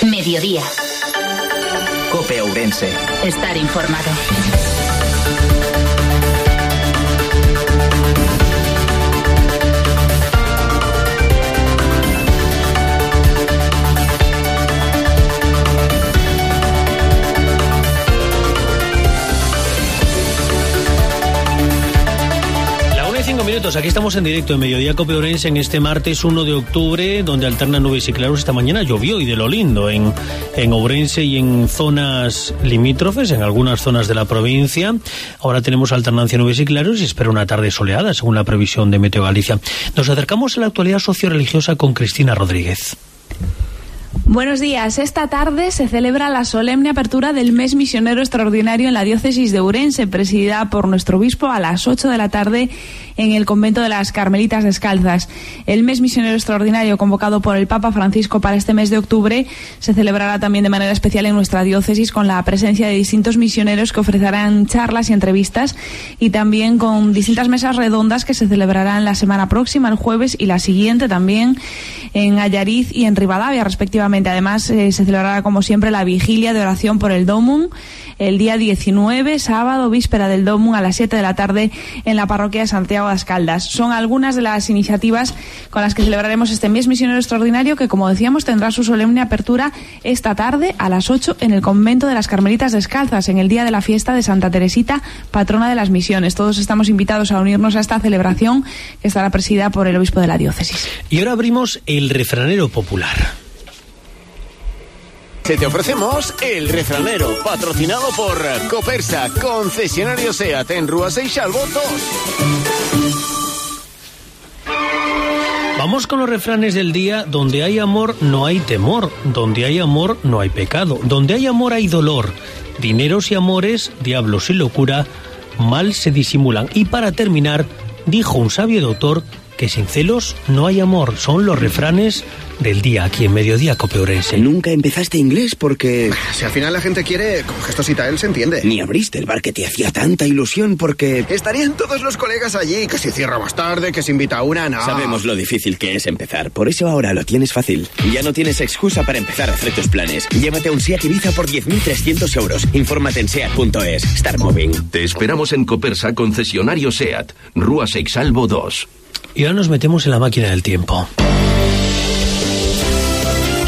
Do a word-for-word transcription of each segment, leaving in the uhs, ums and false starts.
Mediodía. COPE Ourense. Estar informado. Cinco minutos, aquí estamos en directo en Mediodía COPE Ourense en este martes uno de octubre, donde alternan nubes y claros. Esta mañana llovió y de lo lindo en, en Ourense y en zonas limítrofes, en algunas zonas de la provincia. Ahora tenemos alternancia nubes y claros y espera una tarde soleada, según la previsión de Meteo Galicia. Nos acercamos a la actualidad socio-religiosa con Cristina Rodríguez. Buenos días. Esta tarde se celebra la solemne apertura del mes misionero extraordinario en la diócesis de Ourense, presidida por nuestro obispo a las ocho de la tarde en el convento de las Carmelitas Descalzas. El mes misionero extraordinario convocado por el Papa Francisco para este mes de octubre se celebrará también de manera especial en nuestra diócesis, con la presencia de distintos misioneros que ofrecerán charlas y entrevistas, y también con distintas mesas redondas que se celebrarán la semana próxima, el jueves, y la siguiente también en Allariz y en Ribadavia, respectivamente. Además, eh, se celebrará, como siempre, la vigilia de oración por el Domum el día diecinueve, sábado, víspera del Domum, a las siete de la tarde en la parroquia de Santiago de las Caldas. Son algunas de las iniciativas con las que celebraremos este mes misionero extraordinario, que, como decíamos, tendrá su solemne apertura esta tarde a las ocho en el convento de las Carmelitas Descalzas, en el día de la fiesta de Santa Teresita, patrona de las misiones. Todos estamos invitados a unirnos a esta celebración, que estará presidida por el obispo de la diócesis. Y ahora abrimos el refranero popular. Te ofrecemos el refranero, patrocinado por Copersa, concesionario SEAT en Rúa Seixalvo dos. Vamos con los refranes del día. Donde hay amor no hay temor, donde hay amor no hay pecado, donde hay amor hay dolor, dineros y amores, diablos y locura, mal se disimulan. Y para terminar, dijo un sabio doctor que sin celos no hay amor. Son los refranes del día aquí en Mediodía COPE Ourense. Nunca empezaste inglés porque... Si al final la gente quiere, con gestos y tal se entiende. Ni abriste el bar que te hacía tanta ilusión porque... Estarían todos los colegas allí, que si cierra más tarde, que se invita a una, no. Sabemos lo difícil que es empezar, por eso ahora lo tienes fácil. Ya no tienes excusa para empezar a hacer tus planes. Llévate un SEAT Ibiza por diez mil trescientos euros. Infórmate en seat punto es. Start moving. Te esperamos en Copersa, concesionario SEAT, Rúa Seixalvo dos. Y ahora nos metemos en la máquina del tiempo.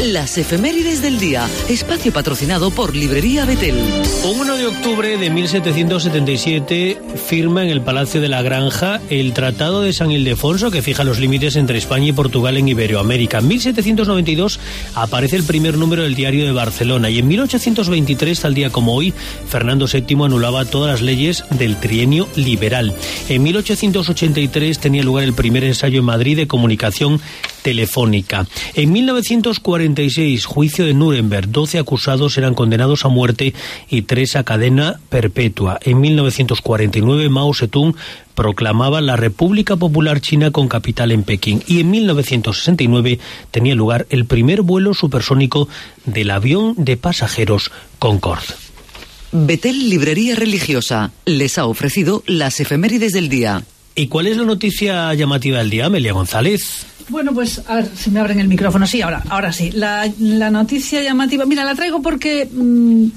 Las efemérides del día, espacio patrocinado por Librería Betel. Un uno de octubre de mil setecientos setenta y siete firma en el Palacio de la Granja el Tratado de San Ildefonso, que fija los límites entre España y Portugal en Iberoamérica. En mil setecientos noventa y dos aparece el primer número del Diario de Barcelona, y en mil ochocientos veintitrés, tal día como hoy, Fernando séptimo anulaba todas las leyes del trienio liberal. En mil ochocientos ochenta y tres tenía lugar el primer ensayo en Madrid de comunicación telefónica. En mil novecientos cuarenta y seis, juicio de Nuremberg. doce acusados eran condenados a muerte y tres a cadena perpetua. En mil novecientos cuarenta y nueve, Mao Zedong proclamaba la República Popular China con capital en Pekín. Y en mil novecientos sesenta y nueve tenía lugar el primer vuelo supersónico del avión de pasajeros Concorde. Betel Librería Religiosa les ha ofrecido las efemérides del día. ¿Y cuál es la noticia llamativa del día, Amelia González? Bueno, pues a ver si me abren el micrófono. Sí, ahora, ahora sí. La, la noticia llamativa, mira, la traigo porque mmm,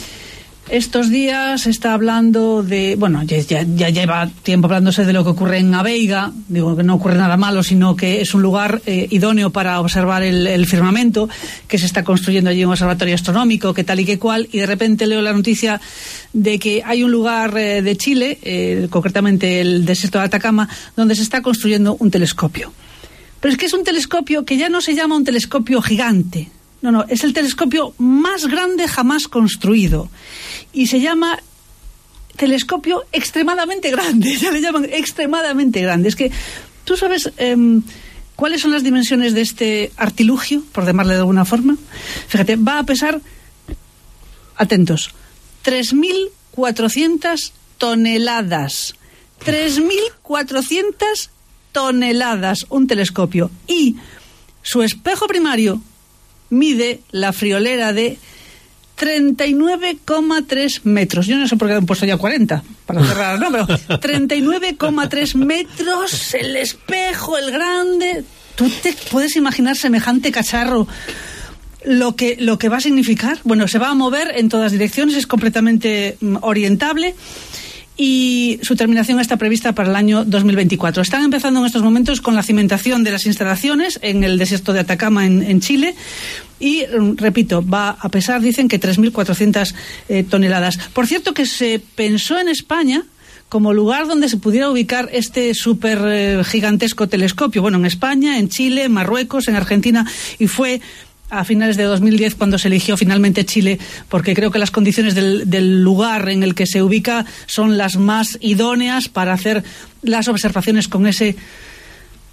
estos días se está hablando de, bueno, ya, ya, ya lleva tiempo hablándose de lo que ocurre en Aveiga. Digo que no ocurre nada malo, sino que es un lugar eh, idóneo para observar el, el firmamento, que se está construyendo allí un observatorio astronómico, que tal y que cual, y de repente leo la noticia de que hay un lugar eh, de Chile, eh, concretamente el desierto de Atacama, donde se está construyendo un telescopio. Pero es que es un telescopio que ya no se llama un telescopio gigante. No, no, es el telescopio más grande jamás construido. Y se llama telescopio extremadamente grande. Ya le llaman extremadamente grande. Es que, ¿tú sabes eh, cuáles son las dimensiones de este artilugio, por llamarle de alguna forma? Fíjate, va a pesar, atentos, tres mil cuatrocientas toneladas. tres mil cuatrocientas toneladas, un telescopio. Y su espejo primario mide la friolera de treinta y nueve coma tres metros. Yo no sé por qué han puesto ya cuarenta para cerrar, no, pero treinta y nueve coma tres metros, el espejo, el grande. ¿Tú te puedes imaginar semejante cacharro lo que, lo que va a significar, bueno, se va a mover en todas direcciones, es completamente mm, orientable, y su terminación está prevista para el año dos mil veinticuatro. Están empezando en estos momentos con la cimentación de las instalaciones en el desierto de Atacama, en, en Chile, y, repito, va a pesar, dicen, que tres mil cuatrocientas eh, toneladas. Por cierto, que se pensó en España como lugar donde se pudiera ubicar este súper eh, gigantesco telescopio. Bueno, en España, en Chile, en Marruecos, en Argentina, y fue a finales de dos mil diez cuando se eligió finalmente Chile, porque creo que las condiciones del, del lugar en el que se ubica son las más idóneas para hacer las observaciones con ese,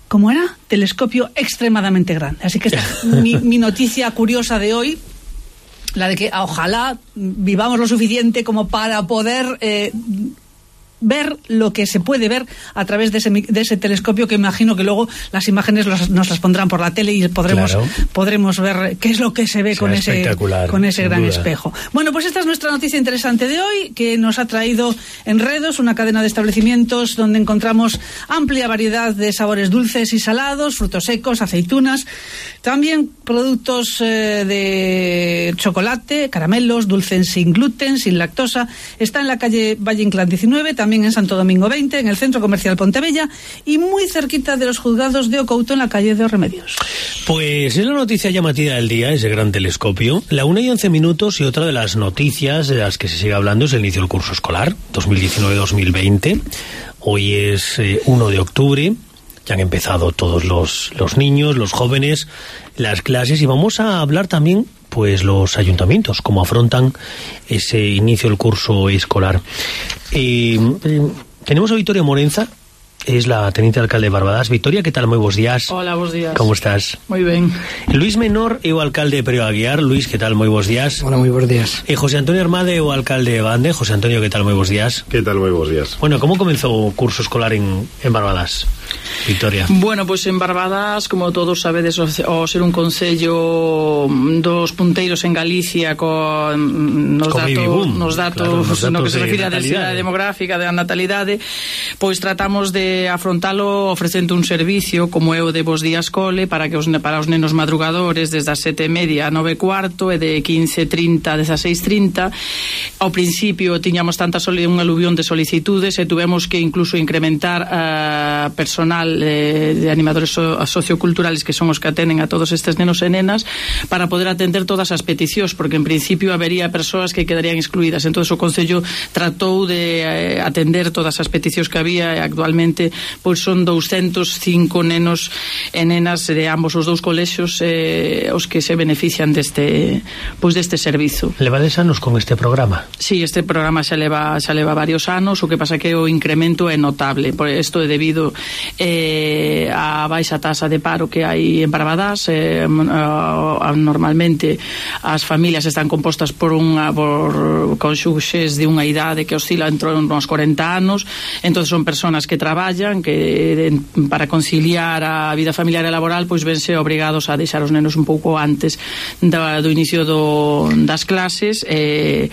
¿cómo era? Telescopio extremadamente grande. Así que esta es mi, mi noticia curiosa de hoy, la de que ojalá vivamos lo suficiente como para poder eh, ver lo que se puede ver a través de ese, de ese telescopio, que imagino que luego las imágenes los, nos las pondrán por la tele y podremos, claro, podremos ver qué es lo que se ve con ese, con ese gran duda. espejo. Bueno, pues esta es nuestra noticia interesante de hoy, que nos ha traído Enredos, una cadena de establecimientos donde encontramos amplia variedad de sabores dulces y salados, frutos secos, aceitunas, también productos eh, de chocolate, caramelos, dulces sin gluten, sin lactosa. Está en la calle Valle Inclán diecinueve, también en Santo Domingo veinte, en el Centro Comercial Pontebella, y muy cerquita de los juzgados de Ocouto, en la calle de Os Remedios. Pues es la noticia llamativa del día, ese gran telescopio. La una y once minutos, y otra de las noticias de las que se sigue hablando es el inicio del curso escolar, dos mil diecinueve dos mil veinte. Hoy es eh, uno de octubre, ya han empezado todos los, los niños, los jóvenes, las clases, y vamos a hablar también pues los ayuntamientos, cómo afrontan ese inicio del curso escolar. Eh, eh, tenemos a Victoria Morenza, es la teniente alcalde de Barbadas. Victoria, ¿qué tal? Muy buenos días. Hola, buenos días. ¿Cómo estás? Muy bien. Luis Menor, eu alcalde de Perio Aguiar. Luis, ¿qué tal? Muy buenos días. Hola, muy buenos días. Eh, José Antonio Armade, eu alcalde de Bande. José Antonio, ¿qué tal? Muy buenos días. ¿Qué tal? Muy buenos días. Bueno, ¿cómo comenzó o curso escolar en, en Barbadas? Victoria. Bueno, pois pues en Barbadas, como todos sabedes, ao ser un concello dos punteiros en Galicia con nos datos, nos datos, claro, nos datos no que se refire á densidade demográfica, da natalidade, pois tratamos de afrontalo ofrecendo un servicio como é o de Bos Días Cole para que os, para os nenos madrugadores desde as sete e media a nove e cuarto e de quince e trinta a dezasseis e trinta. Ao principio tiñamos tanta un aluvión de solicitudes e tuvemos que incluso incrementar a uh, personal de, de animadores so, socioculturales, que son os que atenden a todos estes nenos e nenas, para poder atender todas as peticións, porque en principio habería persoas que quedarían excluídas. Entón o Concello tratou de eh, atender todas as peticións que había, e actualmente pois son doscientos cinco nenos e nenas de ambos os dous colexios eh, os que se benefician deste pois deste servizo. Levades anos con este programa? Sí, este programa xa leva xa leva varios anos, o que pasa que o incremento é notable. Por isto é debido eh, a baixa tasa de paro que hai en Barbadas. Eh, normalmente as familias están compostas por unha por conxuxes de unha idade que oscila entre uns corenta anos, entón son persoas que traballan, que para conciliar a vida familiar e laboral pois vense obrigados a deixar os nenos un pouco antes do, do inicio do, das clases. Eh,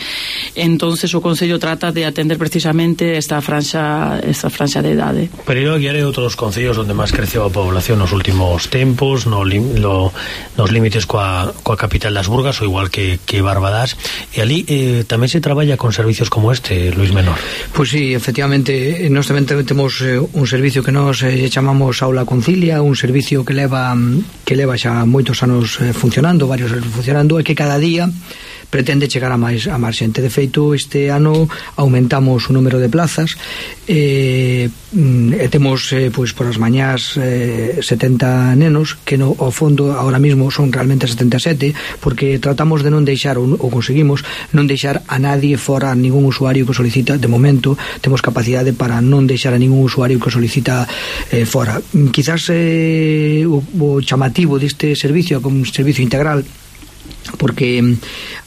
entonces o Concello trata de atender precisamente esta franxa esta franxa de idade. Pero Aguiar é outro dos concellos onde máis creceu a población nos últimos tempos, no, lo, nos límites coa, coa capital das Burgas, ou igual que, que Barbadas, e ali eh, tamén se traballa con servicios como este, Luis Menor. Pois pues sí, efectivamente, nós tamén temos eh, un servicio que nós eh, chamamos Aula Concilia, un servicio que leva que leva xa moitos anos eh, funcionando, varios anos funcionando, e que cada día pretende chegar a máis a máis xente. De feito, este ano aumentamos o número de plazas e, e temos eh, pois por as mañás eh, setenta nenos, que no, ao fondo agora mesmo son realmente setenta e sete, porque tratamos de non deixar, ou, ou conseguimos non deixar a nadie fora, a ningún usuario que solicita. De momento temos capacidade para non deixar a ningún usuario que solicita eh, fora. Quizás eh, o, o chamativo deste servicio como un servicio integral, porque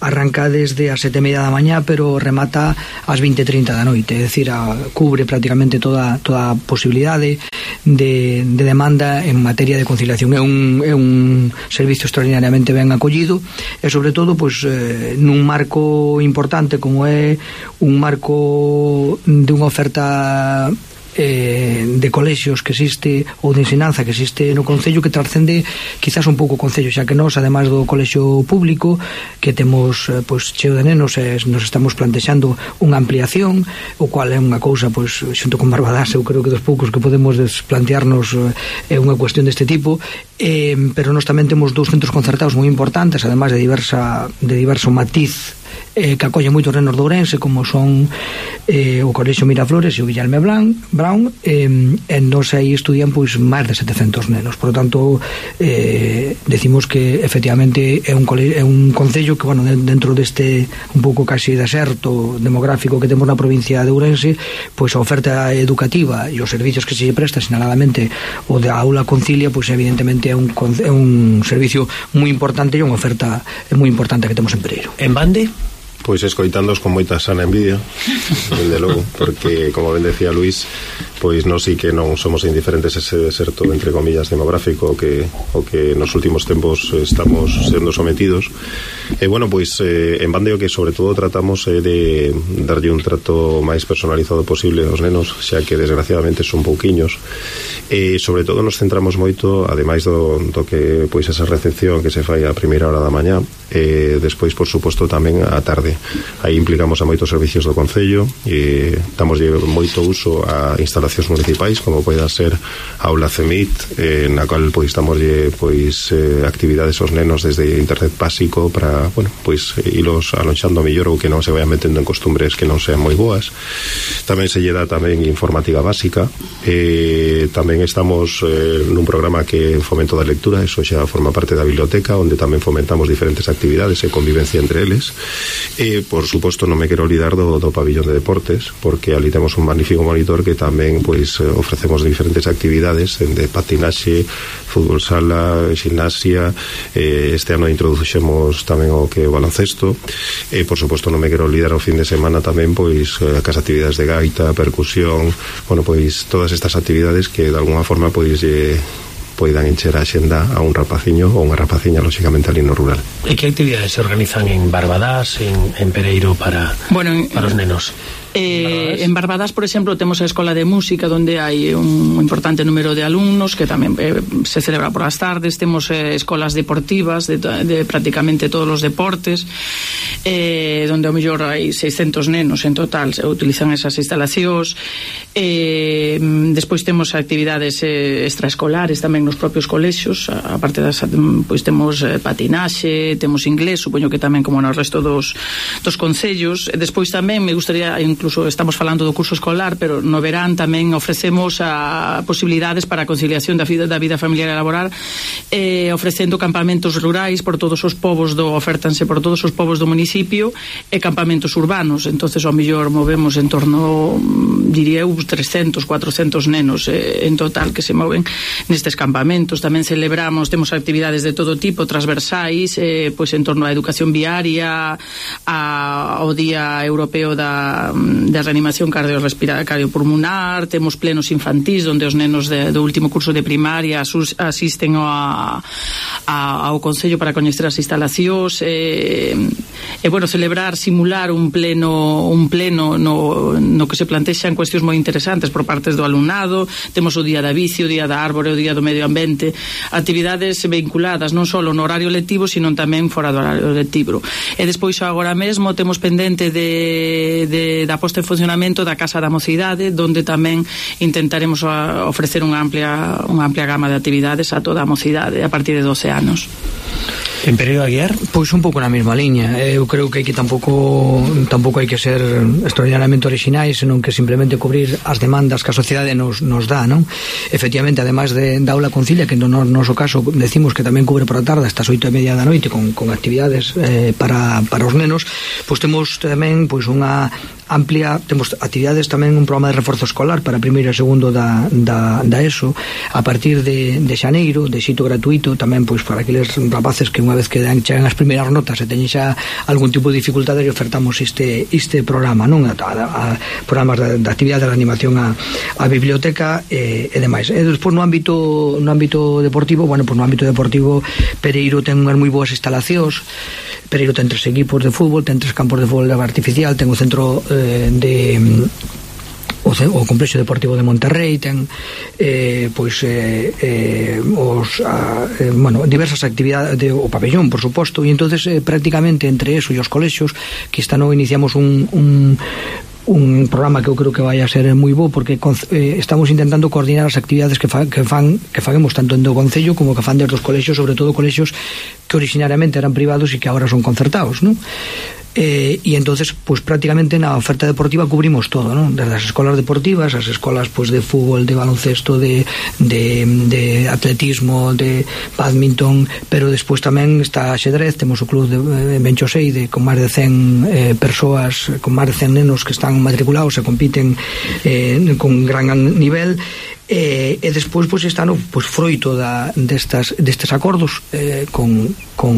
arranca desde as sete e media da mañá pero remata ás vinte e trinta da noite, é dicir, a, cubre prácticamente toda, toda a posibilidade de, de demanda en materia de conciliación. É un, é un servicio extraordinariamente ben acollido e sobre todo pois, eh, nun marco importante como é un marco de unha oferta eh, de colexios que existe ou de ensinanza que existe no Concello, que transcende quizás un pouco o Concello, xa que nós, ademais do colexio público que temos eh, pois, cheo de nenos, eh, nos estamos plantexando unha ampliación, o cual é unha cousa pois, xunto con Barbadas, eu creo que dos poucos que podemos plantearnos é eh, unha cuestión deste tipo, eh, pero nós tamén temos dous centros concertados moi importantes, ademais de diversa de diverso matiz eh, que acolle moitos nenos de Ourense, como son eh, o Colexio Miraflores e o Villalme Brown, eh, e nos aí estudian pois máis de setecentos nenos. Por lo tanto, eh, decimos que efectivamente é un, cole, é un concello que, bueno, dentro deste un pouco casi deserto demográfico que temos na provincia de Ourense, pois a oferta educativa e os servicios que se lle presta, sinaladamente o da aula Concilia, pois evidentemente é un, é un servicio moi importante e unha oferta moi importante que temos en Pereiro. En Bande? Pois escoitándoos con moita sana envidia, dende logo, porque, como ben decía Luís, pois nós sí que non somos indiferentes ese deserto, entre comillas, demográfico que o que nos últimos tempos estamos sendo sometidos. E, bueno, pois eh, en Bande o que sobre todo tratamos é eh, de darlle un trato máis personalizado posible aos nenos, xa que desgraciadamente son pouquiños, e sobre todo nos centramos moito, ademais do, do que pois esa recepción que se fai a primeira hora da mañá, e despois, por suposto, tamén a tarde. Aí implicamos a moitos servicios do Concello e damos moito uso a instalacións municipais, como poida ser a aula CEMIT, eh, na cual pois damos pois eh, actividades aos nenos desde internet básico para, bueno, pois ilos alonxando mellor ou que non se vayan metendo en costumbres que non sean moi boas. Tamén se lle dá tamén informática básica, e tamén estamos eh, nun programa que fomento da lectura, eso xa forma parte da biblioteca, onde tamén fomentamos diferentes actividades e convivencia entre eles. E, por suposto, non me quero olvidar do, do pabillón de deportes, porque ali temos un magnífico monitor que tamén pois ofrecemos diferentes actividades de patinaxe, fútbol sala, gimnasia, eh, este ano introduxemos tamén o que o baloncesto, e, por suposto, non me quero olvidar o fin de semana tamén pois as actividades de gaita, percusión, bueno, pois todas estas actividades que de alguna forma pois eh, poidan encher a xenda a un rapaciño ou unha rapaciña, lóxicamente, ali no rural. E que actividades se organizan en Barbadas, en, en Pereiro para, bueno, en, para os nenos? Eh, en Barbadas, por exemplo, temos a Escola de Música, onde hai un importante número de alumnos que tamén eh, se celebra por as tardes. Temos eh, escolas deportivas de, de prácticamente todos os deportes, eh, onde ao mellor hai seiscentos nenos en total, se utilizan esas instalacións. Eh, despois temos actividades eh, extraescolares tamén nos propios colexios, a, a parte das, pois temos eh, patinaxe, temos inglés, supoño que tamén como no resto dos, dos concellos. E despois tamén me gustaría, incluso estamos falando do curso escolar, pero no verán tamén ofrecemos a posibilidades para a conciliación da vida, da vida familiar e laboral, eh, ofrecendo campamentos rurais por todos os povos do, ofertanse por todos os povos do municipio, e campamentos urbanos. Entonces ao mellor movemos en torno, diría eu, trescentos, cuatrocentos nenos eh, en total que se moven nestes campamentos. Tamén celebramos, temos actividades de todo tipo, transversais, eh, pois en torno á educación viaria, a, ao Día Europeo da de reanimación cardiopulmonar, temos plenos infantís onde os nenos de, do último curso de primaria asus, asisten a, a, ao Concello para coñecer as instalacións, e, e bueno, celebrar, simular un pleno un pleno no, no que se plantexan cuestións moi interesantes por partes do alumnado. Temos o Día da Bici, o Día da Árbore, o Día do Medio Ambiente, actividades vinculadas non só no horario lectivo, sino tamén fora do horario lectivo. E despois agora mesmo temos pendente de, de da posta en funcionamento da Casa da Mocidade, donde tamén intentaremos ofrecer unha amplia unha amplia gama de actividades a toda a mocidade a partir de doce anos. En Pereiro Aguiar? Pois un pouco na mesma liña. Eu creo que aquí tampouco tampouco hai que ser extraordinariamente orixinais, senón que simplemente cubrir as demandas que a sociedade nos, nos dá, non? Efectivamente, ademais de, da aula Concilia, que no noso caso decimos que tamén cubre por a tarde hasta as oito e media da noite con, con actividades eh, para, para os nenos, pois temos tamén pois unha amplia, temos actividades tamén, un programa de reforzo escolar para primeiro e segundo da, da, da ESO a partir de, de xaneiro, de xito gratuito tamén pois para aqueles rapaces que unha vez que dan, chegan as primeiras notas e teñen xa algún tipo de dificultade, e ofertamos este, este programa, non? A, a, a programas de, de actividade de animación a, a biblioteca e, e demais. E despois no ámbito no ámbito deportivo, bueno, pois no ámbito deportivo Pereiro ten unhas moi boas instalacións. Pereiro ten tres equipos de fútbol, ten tres campos de fútbol artificial, ten o centro eh, de o, o Complexo Deportivo de Monterrey ten eh, pois eh, eh, os a, eh, bueno, diversas actividades de, o pabellón, por suposto, e entonces eh, prácticamente entre eso e os colexios, que esta no iniciamos un, un un programa que eu creo que vai a ser moi bo, porque eh, estamos intentando coordinar as actividades que, fa, que fan que faguemos tanto en do Concello como que fan desde os colexios, sobre todo colexios que originariamente eran privados e que agora son concertados, non? Eh, e entonces pues prácticamente na oferta deportiva cubrimos todo, ¿no? Desde as escolas deportivas, as escolas pues de fútbol, de baloncesto, de, de, de atletismo, de badminton, pero despois tamén está xedrez, temos o club de eh, Benchosei de, con máis de cen eh, persoas, con máis de cen nenos que están matriculados e compiten eh, con gran nivel. E, e despois pois está no pois froito da destas destes acordos eh, con, con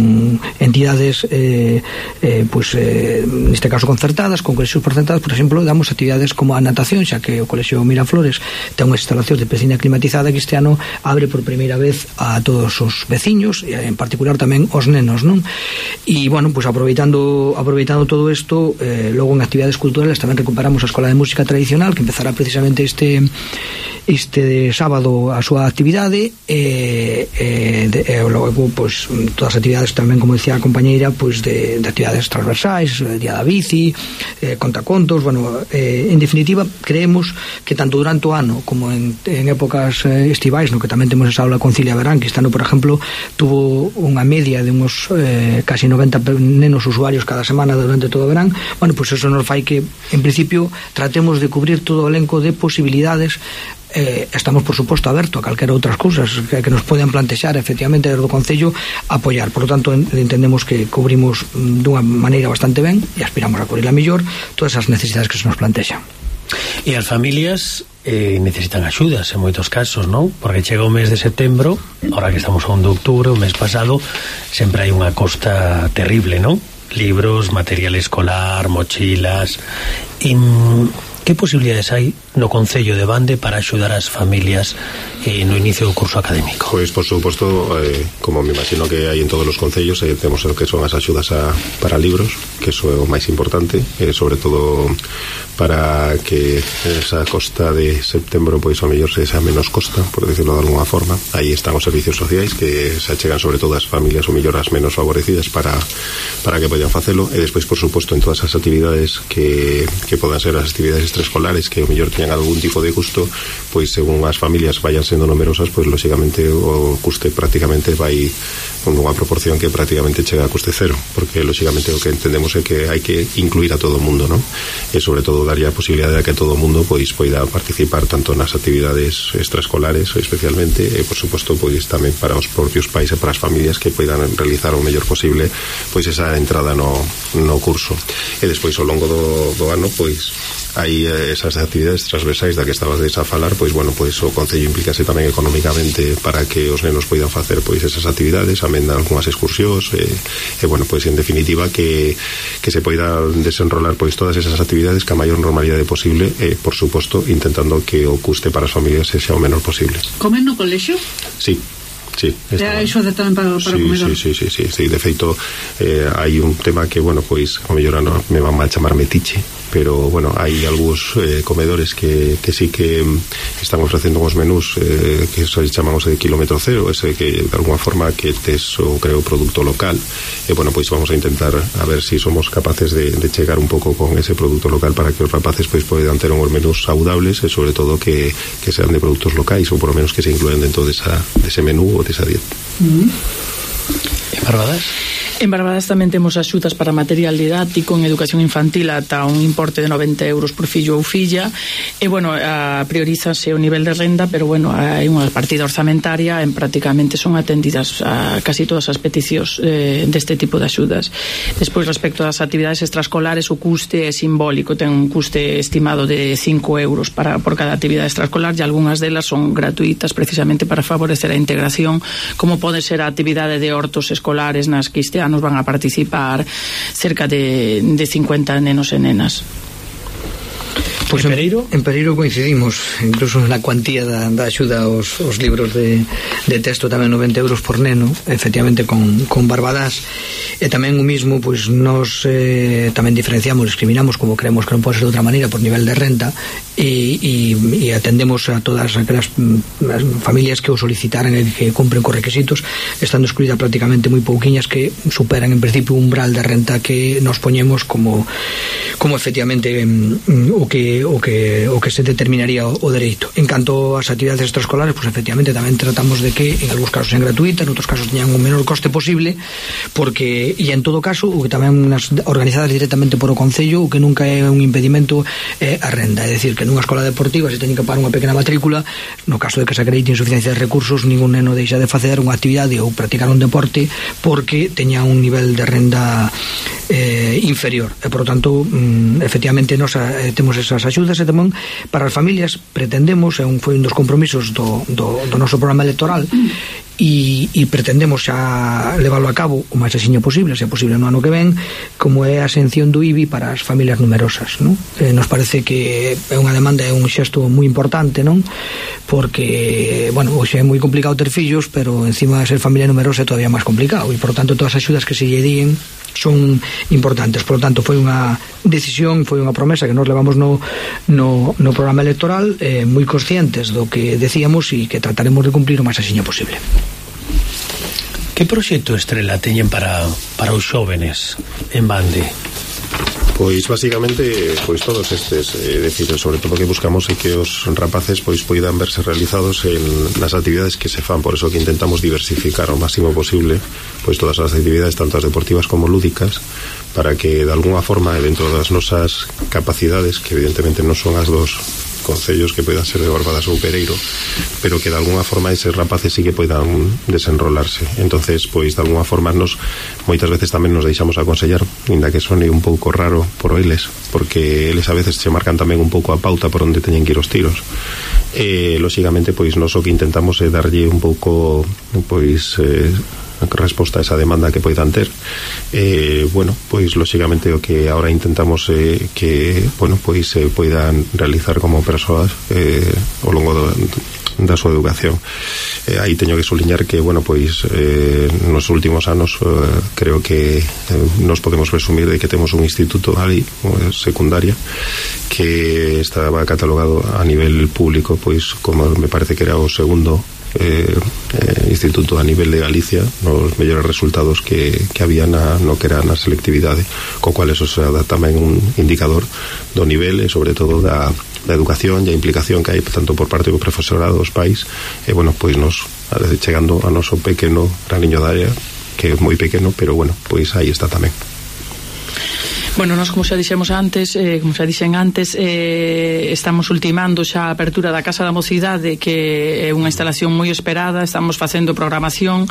entidades eh, eh, pois eh, neste caso concertadas, con colexios concertados. Por exemplo, damos actividades como a natación, xa que o colexio Miraflores ten unha instalación de piscina climatizada que este ano abre por primeira vez a todos os veciños, e en particular tamén os nenos, non? E bueno, pois aproveitando aproveitando todo isto, eh, logo en actividades culturales tamén recuperamos a Escola de Música Tradicional, que empezará precisamente este este de sábado a súa actividade, e, e, de, e logo pois, todas as actividades tamén, como decía a compañeira, pois de, de actividades transversais, Día da Bici, eh, contacontos, bueno, eh, en definitiva creemos que tanto durante o ano como en, en épocas eh, estivais, no que tamén temos esa aula Concilia Verán, que este ano, por exemplo, tuvo unha media de uns eh, casi noventa nenos usuarios cada semana durante todo o verán. Bueno, pois eso nos fai que en principio tratemos de cubrir todo o elenco de posibilidades. Eh, estamos por suposto aberto a calquera outras cousas que, que nos poden plantexar efectivamente desde o Concello apoiar. Por lo tanto, en, entendemos que cubrimos dunha maneira bastante ben e aspiramos a cubrir a mellor todas as necesidades que se nos plantexan. E as familias eh, necesitan axudas en moitos casos, non? Porque chega o mes de setembro, ahora que estamos a un de outubro, o mes pasado, sempre hai unha costa terrible, non? Libros, material escolar, mochilas. E que posibilidades hai no Concello de Bande para axudar as familias eh, no inicio do curso académico? Pois, por suposto, eh, como me imagino que hai en todos os concellos, eh, temos o que son as axudas a, para libros, que eso é o máis importante, eh, sobre todo para que esa costa de setembro pois ao mellor se xa menos costa, por decirlo de alguna forma. Aí están os servicios sociais que se achegan sobre todo as familias ou mellor as menos favorecidas para, para que podan facelo, e despois, por suposto, en todas as actividades que, que podan ser as actividades extraescolares que ao mellor teñan algún tipo de custo, pois según as familias vayan sendo numerosas, pois lógicamente o custe prácticamente vai con unha proporción que prácticamente chega a custe cero, porque lógicamente o que entendemos é que hai que incluir a todo o mundo, non? E sobre todo daría a posibilidade de que todo o mundo pois poida participar tanto nas actividades extraescolares especialmente, e por suposto pois tamén para os propios pais e para as familias que poidan realizar o mellor posible pois esa entrada no, no curso. E despois ao longo do, do ano pois hai esas actividades transversais da que estabas a falar, pois bueno, pois o Concello implícase tamén económicamente para que os nenos poidan facer pois esas actividades, amén algunhas excursións, e, e bueno, pois en definitiva que, que se poida desenrolar pois todas esas actividades que a maior normalidade posible, e por suposto intentando que o custe para as familias sexa o menor posible. Comen no colexio? Sí. Sí, está iso de tamén para, para sí, comedor. Sí, sí, sí, sí, sí, de feito eh, hai un tema que, bueno, pois o mellor no, me van mal chamar metiche, pero bueno, hai algúns eh, comedores que, que sí que están ofrecendo uns menús eh, que se chamamos de kilómetro cero, ese que de alguna forma que tes o creo produto local, e bueno, pois vamos a intentar a ver se si somos capaces de, de chegar un pouco con ese produto local para que os rapaces pois poidan ter uns menús saudables e sobre todo que, que sean de produtos locais, ou por lo menos que se incluen dentro de, esa, de ese menú ou de esa dieta. Mm-hmm. En Barbadas? En Barbadas tamén temos axudas para material didáctico en educación infantil ata un importe de noventa euros por fillo ou filla, e bueno, a, priorízase o nivel de renda, pero bueno, hai unha partida orzamentaria en prácticamente son atendidas a casi todas as peticións eh, deste tipo de axudas. Despois, respecto ás actividades extraescolares, o custe é simbólico, ten un custe estimado de cinco euros para, por cada actividade extraescolar, e algunhas delas son gratuitas precisamente para favorecer a integración, como pode ser a actividade de hortos escolares nas que este ano van a participar cerca de, de cincuenta nenos e nenas. Pois en Pereiro? En, en Pereiro coincidimos, incluso na cuantía da, da axuda aos, aos libros de, de texto, tamén noventa euros por neno, efectivamente con, con Barbadas, e tamén o mismo, pois nos eh, tamén diferenciamos, discriminamos, como creemos que non pode ser de outra maneira, por nivel de renta, e, e, e atendemos a todas aquelas familias que o solicitaran e que cumpren con requisitos, estando excluídas prácticamente moi pouquiñas que superan en principio un umbral de renta que nos poñemos como como efectivamente mm, o que o que o que se determinaría o, o dereito. En canto ás actividades extraescolares, pues efectivamente tamén tratamos de que en algúns casos sean gratuitas, en outros casos teñan un menor coste posible, porque e en todo caso o que tamén nas organizadas directamente por o Concello, o que nunca é un impedimento é a renda, é dicir, que nunha escola deportiva se teñen que pagar unha pequena matrícula, no caso de que se acredite insuficiencia de recursos, ningún neno deixa de facer unha actividade ou practicar un deporte porque teña un nivel de renda eh, inferior, e por lo tanto mm, efectivamente nos eh, temos esas axudas, e tamén para as familias pretendemos, é un, foi un dos compromisos do, do, do noso programa electoral, e, e pretendemos xa leválo a cabo o máis axiño posible, se é posible no ano que ven, como é a exención do I B I para as familias numerosas, non? Eh, nos parece que é unha demanda, é un xesto moi importante, non? Porque, bueno, hoxe é moi complicado ter fillos, pero encima ser familia numerosa é todavía máis complicado, e por tanto todas as axudas que se lle díen son importantes. Por lo tanto, foi unha decisión, foi unha promesa que nos levamos no, no, no programa electoral, eh, moi conscientes do que decíamos e que trataremos de cumplir o máis axiño posible. Que proxecto estrela teñen para, para os xóvenes en Bande? Pois basicamente pois todos estes, é eh, dicir, sobre todo que buscamos é que os rapaces pois poidan verse realizados en nas actividades que se fan, por eso que intentamos diversificar ao máximo posible pois todas as actividades, tanto as deportivas como lúdicas, para que de alguna forma dentro das nosas capacidades, que evidentemente non son as dos concellos que poidan ser de Barbadas ou Pereiro, pero que de alguna forma eses rapaces sí que poidan desenrolarse. Entonces, pois de alguna forma nos moitas veces tamén nos deixamos aconsellar, inda que sone un pouco raro por eles, porque eles a veces se marcan tamén un pouco a pauta por onde teñen que ir os tiros. E lóxicamente pois nos o que intentamos é darlle un pouco pois eh, resposta a esa demanda que poidan ter. Eh, bueno, pois lóxicamente o que ahora intentamos é eh, que, bueno, pois se eh, poidan realizar como persoas eh, ao longo do, da súa educación. Eh, aí teño que suliñar que, bueno, pois eh, nos últimos anos eh, creo que eh, nos podemos presumir de que temos un instituto ali, eh, secundaria, que estaba catalogado a nivel público, pois como me parece que era o segundo Eh, eh, instituto a nivel de Galicia nos mellores resultados que, que había na, no que era na selectividade, co cual eso será tamén un indicador do nivel e sobre todo da, da educación e a implicación que hai tanto por parte do profesorado, dos pais, e bueno, pois nos chegando a noso pequeno graniño de área, que é moi pequeno, pero bueno, pois aí está tamén. Bueno, nós como xa dixemos antes, eh, como xa dixen antes, eh, estamos ultimando xa a apertura da Casa da Mocidade, que é unha instalación moi esperada. Estamos facendo programación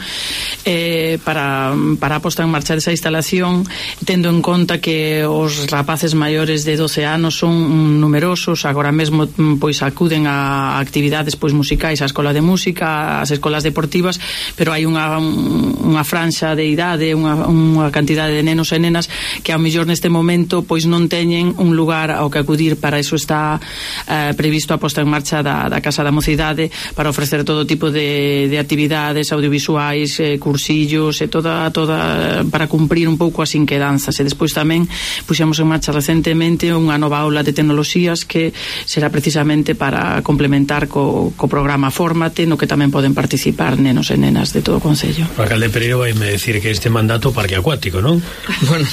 eh, para, para a posta en marcha desa instalación, tendo en conta que os rapaces maiores de doce anos son numerosos. Agora mesmo pois acuden a actividades pois musicais, a escola de música, as escolas deportivas, pero hai unha, unha franxa de idade, unha, unha cantidade de nenos e nenas que ao mellor neste momento pois non teñen un lugar ao que acudir. Para iso está eh, previsto a posta en marcha da, da Casa da Mocidade, para ofrecer todo tipo de, de actividades audiovisuais, eh, cursillos e toda, toda para cumprir un pouco as inquedanzas. E despois tamén puxemos en marcha recentemente unha nova aula de tecnoloxías que será precisamente para complementar co, co programa Fórmate, no que tamén poden participar nenos e nenas de todo o Concello. O alcalde Pereiro vai me decir que este mandato parque acuático, non? Bueno,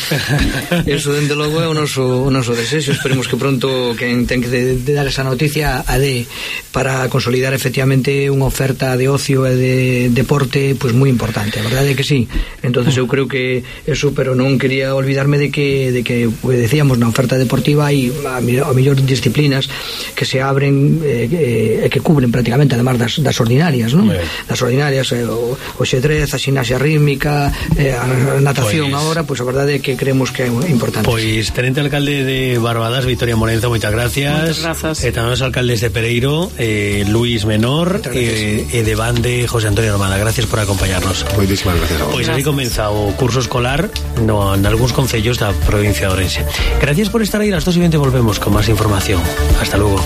eso dende logo é o noso, o noso desexo. Esperemos que pronto quen ten que de, de dar esa noticia a de para consolidar efectivamente unha oferta de ocio e de deporte pois pues moi importante. A verdade é que sí. Entonces eu creo que eso, pero non quería olvidarme de que de que pues, decíamos na oferta deportiva hai a, a mellor disciplinas que se abren e eh, que cubren prácticamente además das, das ordinarias, non? Das ordinarias, eh, o, o xedrez, a ximnasia rítmica, eh, a natación. Pues... agora, pois pues, a verdade é que creemos que é importante. importantes. Pois tenente alcalde de Barbadas, Victoria Morenza, moitas gracias. Moitas grazas. E tamén os alcaldes de Pereiro, eh, Luis Menor e, e de Bande, José Antonio Armada. Gracias por acompañarnos. Moitísimas gracias a vos. Pois así comeza o curso escolar no, en algúns concellos da provincia de Ourense. Gracias por estar aí, las dos y veinte volvemos con más información. Hasta luego.